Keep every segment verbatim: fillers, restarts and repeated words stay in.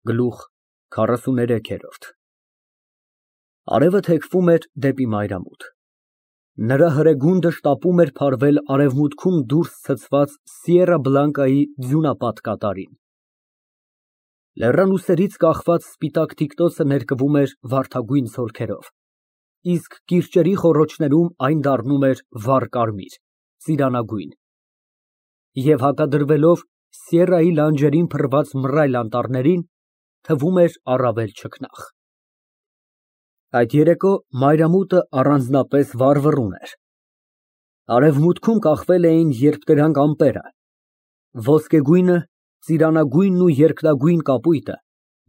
Գլուխ քառասուներեք։ Արևը թեքվում էր դեպի մայրամուտ։ Նրա հրեգունդը շտապում էր փարվել արևմուտքում դուրս ցցված Սիերա Բլանկայի ձյունապատ կատարին։ Լեռանուսերից կախված սպիտակ թիկնոցը ներկվում էր վարդագույն զոլքերով, իսկ կիրճերի խոռոչներում այն դառնում էր վառ կարմիր, ծիրանագույն, և հակադրվելով Սիերայի լանջերին փռված մռայլ անտառներին, թվում էր առավել չքնաղ։ Այդ երեկո մայրամուտը առանձնապես վառվռուն էր։ Արևմուտքում կախվել էին երկտրանք ամպերը, ոսկեգույնը, ծիրանագույնն ու երկնագույն կապույտը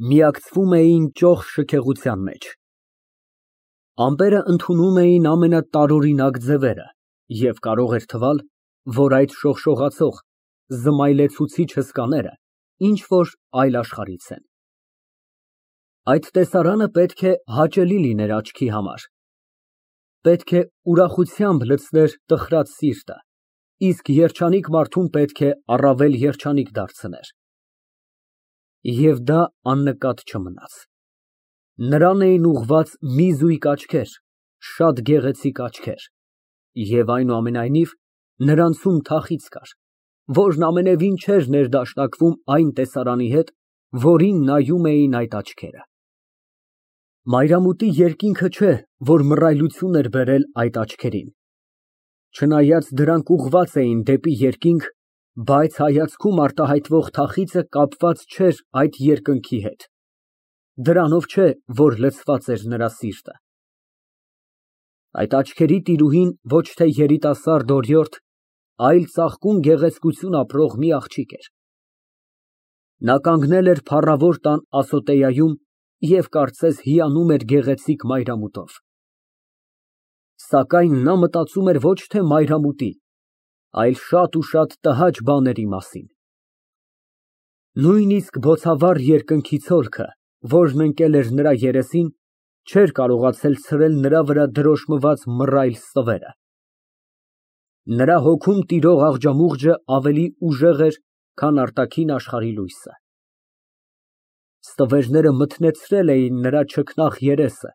միակցվում էին ճոխ շքեղության մեջ։ Ամպերն ընդունում էին ամենատարօրինակ ձևերը, և կարող էր թվալ, որ այդ շողշողացող, զմայլեցուցիչ հսկաները ինչ֊որ այլ աշխարհից են։ Այդ տեսարանը պետք է հաճելի լիներ աչքի համար, պետք է ուրախությամբ լցներ տխրած սիրտը, իսկ երջանիկ մարդուն պետք է առավել երջանիկ դարձներ։ Եվ դա աննկատ չմնաց։ Նրան էին ուղղված մի զույգ աչքեր, շատ գեղեցիկ աչքեր, և այնուամենայնիվ նրանցում թախիծ կար, որն ամենևին չէր ներդաշնակվում այն տեսարանի հետ, որին նայում էին այդ աչքերը։ Մայրամուտի երկինքը չէ, որ մռայլություն էր բերել այդ աչքերին, չնայած դրանք ուղղված էին դեպի երկինք, բայց հայացքում արտահայտվող թախիծը կապված չէր այդ երկնքի հետ, դրանով չէ, որ լցված էր նրա սիրտը։ Այդ աչքերի տիրուհին ոչ թե երիտասարդ օրիորդ, այլ ծաղկուն գեղեցկություն ապրող մի աղջիկ էր։ Նա կանգնել էր փառավոր տան ասոտեայում և կարծես հիանում էր գեղեցիկ մայրամուտով։ Սակայն նա մտածում էր ոչ թե մայրամուտի, այլ շատ ու շատ տհաճ բաների մասին։ Նույնիսկ բոցավառ երկնքի ցոլքը, որն ընկել էր նրա երեսին, չէր կարողացել ցրել նրա վրա դրոշմված մռայլ ստվերը։ Նրա հոգում տիրող աղջամուղջը ավելի ուժեղ էր, քան արտաքին աշխարհի լույսը։ Ստվերները մթնեցրել էին նրա չքնաղ երեսը,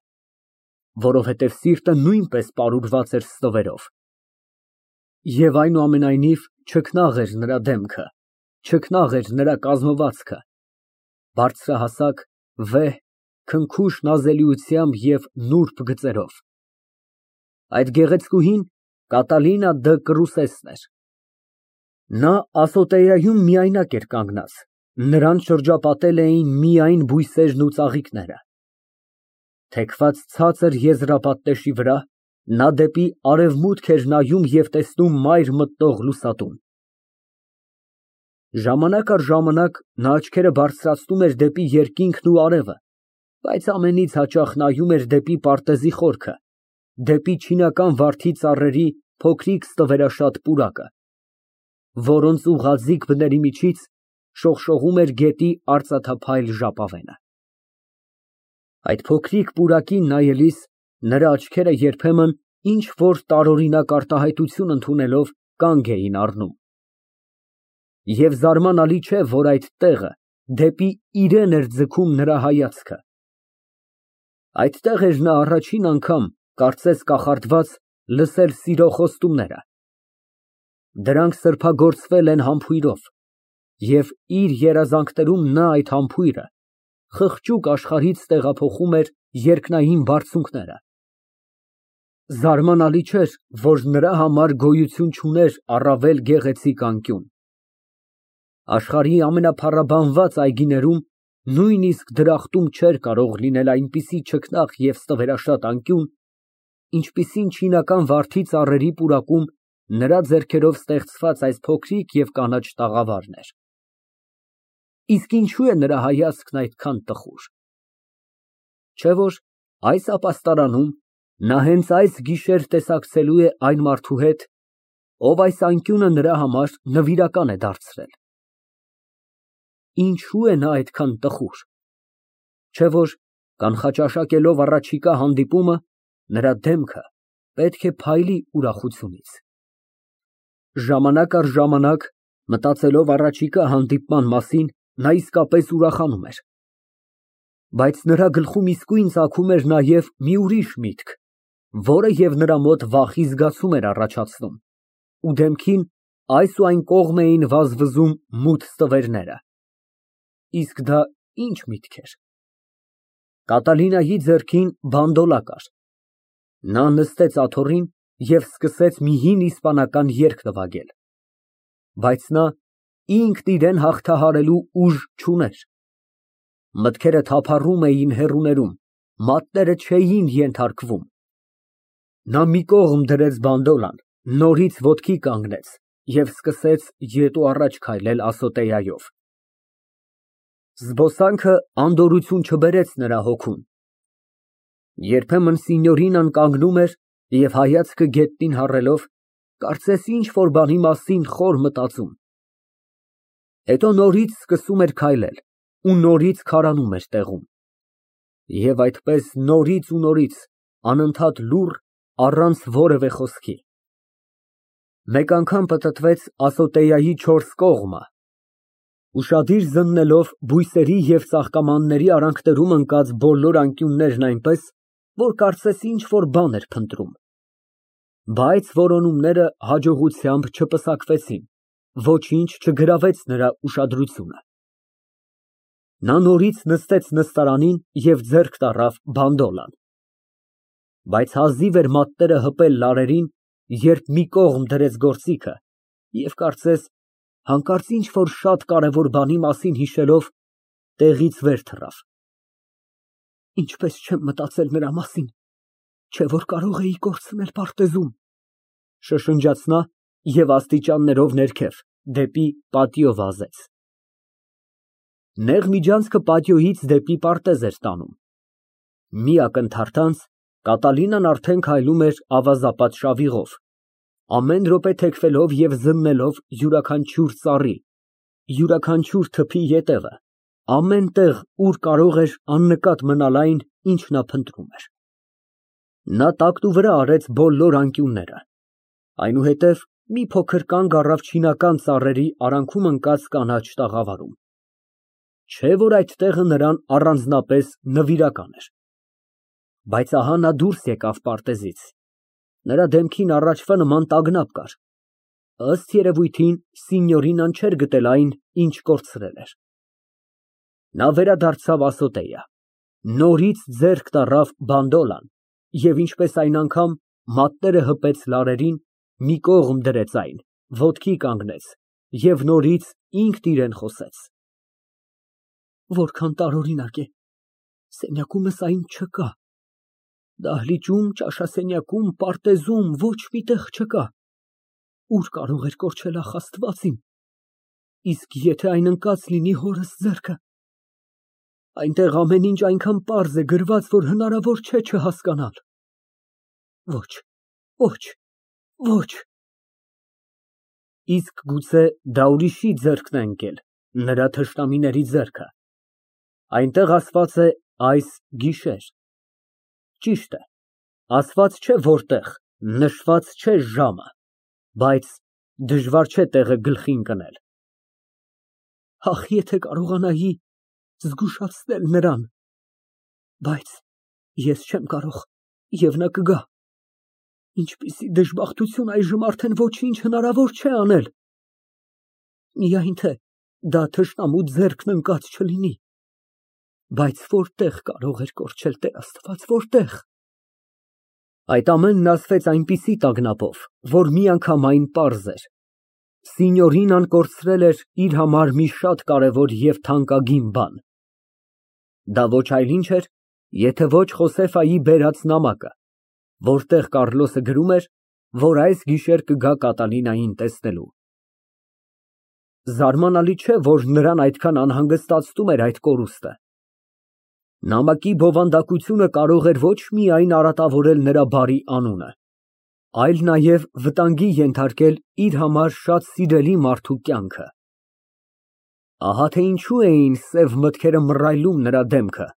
որովհետև սիրտը նույնպես պարուրված էր ստվերով։ Եվ այնուամենայնիվ չքնաղ էր նրա դեմքը, չքնաղ էր նրա կազմվածքը, բարձրահասակ, վեհ, քնքուշ նազելիությամբ և նուրբ գծերով։ Այդ գեղեցկուհին Կատալինա դը Կռուսեսն էր։ Նա ասոտեայում միայնակ էր կանգնած, նրան շրջապատել էին միայն բույսերն ու ծաղիկները։ Թեքված ցածր եզրապատ տեշի վրա, նա դեպի արևմուտք էր նայում և տեսնում մայր մտնող լուսատուն։ Ժամանակ առ ժամանակ նա աչքերը բարձրացնում էր դեպի երկինքն ու արևը, բայց ամենից հաճախ նայում էր դեպի պարտեզի խորքը, դեպի չինական վարդի ծառերի փոքրիկ ստվերաշատ պուրակը, որոնց ուղղաձիգ բների միջից շողշողում էր գետի արծաթափայլ ժապավենը։ Այդ փոքրիկ պուրակին նայելիս նրա աչքերը երբեմն ինչ֊որ տարօրինակ արտահայտություն ընդունելով կանգ էին առնում։ Եվ զարմանալի չէ, որ այդ տեղը դեպի իրան էր ձգում նրա հայացքը։ Այդտեղ էր նա առաջին անգամ, կարծես կախարդված, լսել սիրո խոստումները։ Դրանք սրբագործվել են համբույրով, և իր երազանքներում նա այդ համբույրը խղճուկ աշխարհից տեղափոխում էր երկնային բարձունքները։ Զարմանալի չէր, որ նրա համար գոյություն չուներ առավել գեղեցիկ անկյուն։ Աշխարհի ամենափառաբանված այգիներում նույնիսկ դրախտում չէր կարող լինել այնպիսի չքնաղ և ստվերաշատ անկյուն, ինչպիսին չինական վարդի ծառերի պուրակում նրա ձեռքերով ստեղծված այս փոքրիկ և կանաչ տաղավարն էր։ Իսկ ինչո՞ւ է նրա հայացքն այդքան տխուր։ Չէ՞ որ այս ապաստարանում նա հենց այս գիշեր տեսակցելու է այն մարդու հետ, ով այս անկյունը նրա համար նվիրական է դարձրել։ Ինչո՞ւ է նա այդքան տխուր։ Չէ՞ որ կանխաճաշակելով առաջիկա հանդիպումը, նրա դեմքը պետք է փայլի ուրախությունից։ Ժամանակ առ ժամանակ, մտածելով առաջիկա հանդիպման մասին, նա իսկապես ուրախանում էր։ Բայց նրա գլխում իսկույն ծագում էր նաև մի ուրիշ միտք, որը և նրա մոտ վախի զգացում էր առաջացնում, ու դեմքին այս ու այն կողմ էին վազվզում մութ ստվերները։ Իսկ դա ի՞նչ միտք էր։ Կատալինայի ձեռքին բանդոլա կար։ Նա նստեց աթոռին և սկսեց մի հին իսպանական երգ նվագել, բայց նա ինքն իրան հաղթահարելու ուժ չուներ։ Մտքերը թափառում էին հեռուներում, մատները չէին ենթարկվում։ Նա մի կողմ դրեց բանդոլան, նորից ոտքի կանգնեց և սկսեց ետ ու առաջ քայլել ասոտեայով։ Զբոսանքը անդորրություն չբերեց նրա հոգուն։ Երբեմն Սինյորինան կանգնում էր և հայացքը գետնին հառելով, կարծես ինչ֊որ բանի մասին խոր մտածում, հետո նորից սկսում էր քայլել ու նորից քարանում էր տեղում։ Եվ այդպես նորից ու նորից, անընդհատ լուռ, առանց որևէ խոսքի։ Մեկ անգամ պտտվեց ասոտեայի չորս կողմը, ուշադիր զննելով բույսերի և ծաղկամանների արանքներում ընկած բոլոր անկյուններն այնպես, որ կարծես ինչ֊որ բան էր փնտրում։ Բայց որոնումները հաջողությամբ չպսակվեցին, ոչինչ չգրավեց նրա ուշադրությունը։ Նա նորից նստեց նստարանին և ձեռք տառավ բանդոլան, բայց հազիվ էր մատները հպել լարերին, երբ մի կողմ դրեց գործիքը և կարծես հանկարծ ինչ֊որ շատ կարևոր բանի մասին հիշելով, տեղից վեր թռավ։ Ինչպես չեմ մտածել նրա մասին, չէ՞ որ կարող էի կորցնել պարտեզում, շշնջաց նա և աստիճաններով ներքև, դեպի պատիո վազեց։ Նեղ միջանցքը պատիոից դեպի պարտեզ էր տանում։ Մի ակնթարթանց Կատալինան արդեն քայլում էր ավազապատ շավիղով, ամեն րոպե թեքվելով և զննելով յուրաքանչյուր ծառի, յուրաքանչյուր թփի ետևը, ամեն տեղ, ուր կարող էր աննկատ մնալ այն, ինչ նա փնտրում էր։ Նա տակտուվրա արեց բոլոր անկյունները, այնուհետև մի փոքր կանգ առավ չինական ծառերի արանքում ընկած կանաչ տաղավարում։ Չէ՞ որ այդ տեղը նրան առանձնապես նվիրական էր։ Բայց ահա նա դուրս եկավ պարտեզից, նրա դեմքին առաջվա նման տագնապ կար, ըստ երևույթին Սինյորինան չէր գտել այն, ինչ կորցրել էր։ Նա վերադարձավ ասոտեյա, նորից ձեռք տառավ բանդոլան և ինչպես այն անգամ մատները հպեց լարերին, մի կողմ դրեց այն, ոտքի կանգնեց և նորից ինքն իրան խոսեց. Որքան տարօրինակ է, սենյակումս այն չկա, դահլիճում, ճաշասենյակում, պարտեզում ոչ մի տեղ չկա, ուր կարող էր կորչել, ախ, Աստված իմ, իսկ եթե այն ընկած լինի հորս ձեռքը, այնտեղ ամեն ինչ այնքան պարզ է գրված, որ հնարավոր չէ չհասկանալ։ Ոչ, ոչ, ոչ։ Իսկ գուցե դա ուրիշի ձեռքն է ընկել, նրա թշնամիների ձեռքը։ Այնտեղ ասված է այս գիշեր։ Ճիշտ է, ասված չէ որտեղ, նշված չէ ժամը, բայց դժվար չէ տեղը գլխին կնել։ Ախ, եթե կարողանայի զգուշացնել նրան, բայց ես չեմ կարող, և նա կգա։ Ինչպիսի դժբախտություն, այժմ արդեն ոչինչ հնարավոր չէ անել։ Միայն թե դա թշնամու ձեռքն ընկած չլինի։ Բայց որտեղ կարող էր կորչել, Տեր Աստված, որտեղ։ Այդ ամենն ասվեց այնպիսի տագնապով, որ միանգամայն պարզ էր. Սինյորինան կորցրել էր իր համար մի շատ կարևոր և թանկագին բան։ Դա ոչ այլ ինչ էր, եթե ոչ Խոսեֆայի բերած նամակը, որտեղ Կառլոսը գրում էր, որ այս գիշեր կգա Կատալինային տեսնելու։ Զարմանալի չէ, որ նրան այդքան անհանգստացնում էր այդ կորուստը։ Նամակի բովանդակությունը կարող էր ոչ միայն արատավորել նրա բարի անունը, այլ նաև վտանգի ենթարկել իր համար շատ սիրելի մարդու կյանքը։ Ահա թե ինչու էին սև մտքերը մռայլում նրա դեմքը,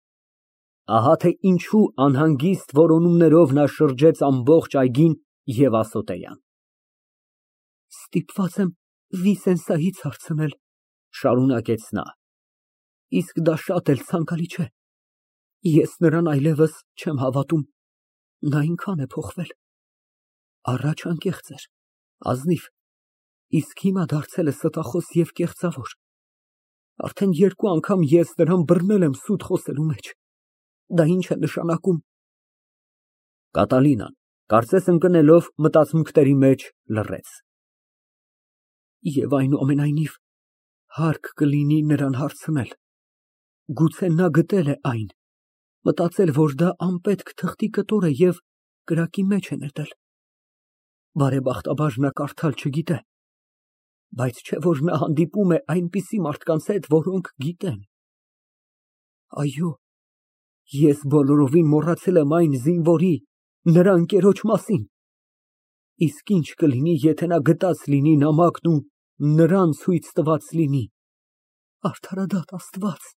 ահա թե ինչու անհանգիստ որոնումներով նա շրջեց ամբողջ այգին և ասոտեան։ Ստիպված եմ Վիսենսայից հարցնել, շարունակեց նա, իսկ դա շատ էլ ցանկալի չէ։ Ես նրան այլևս չեմ հավատում, նա այնքան է փոխվել, առաջ անկեղծ էր, ազնիվ, իսկ հիմա դարձել է ստախոս և կեղծավոր, արդեն երկու անգամ ես նրան բռնել եմ սուտ խոսելու մեջ, դա ի՞նչ է նշանակում։ Կատալինան, կարծես ընկնելով մտածմունքների մեջ, լռեց։ Եվ այնուամենայնիվ, հարկ կլինի նրան հարցնել, գուցե նա գտել է այն, մտածել, որ դա անպետք թղթի կտոր է և կրակի մեջ է նետել։ Բարեբախտաբար նա կարդալ չգիտե, բայց չէ՞ որ նա հանդիպում է այնպիսի մարդկանց հետ, որոնք գիտեն։ Այո, ես բոլորովին մոռացել եմ այն զինվորի, նրա ընկերոջ մասին, իսկ ինչ կլինի, եթե նա գտած լինի նամակն ու նրան ցույց տված լինի։ Արդարադատ Աստված։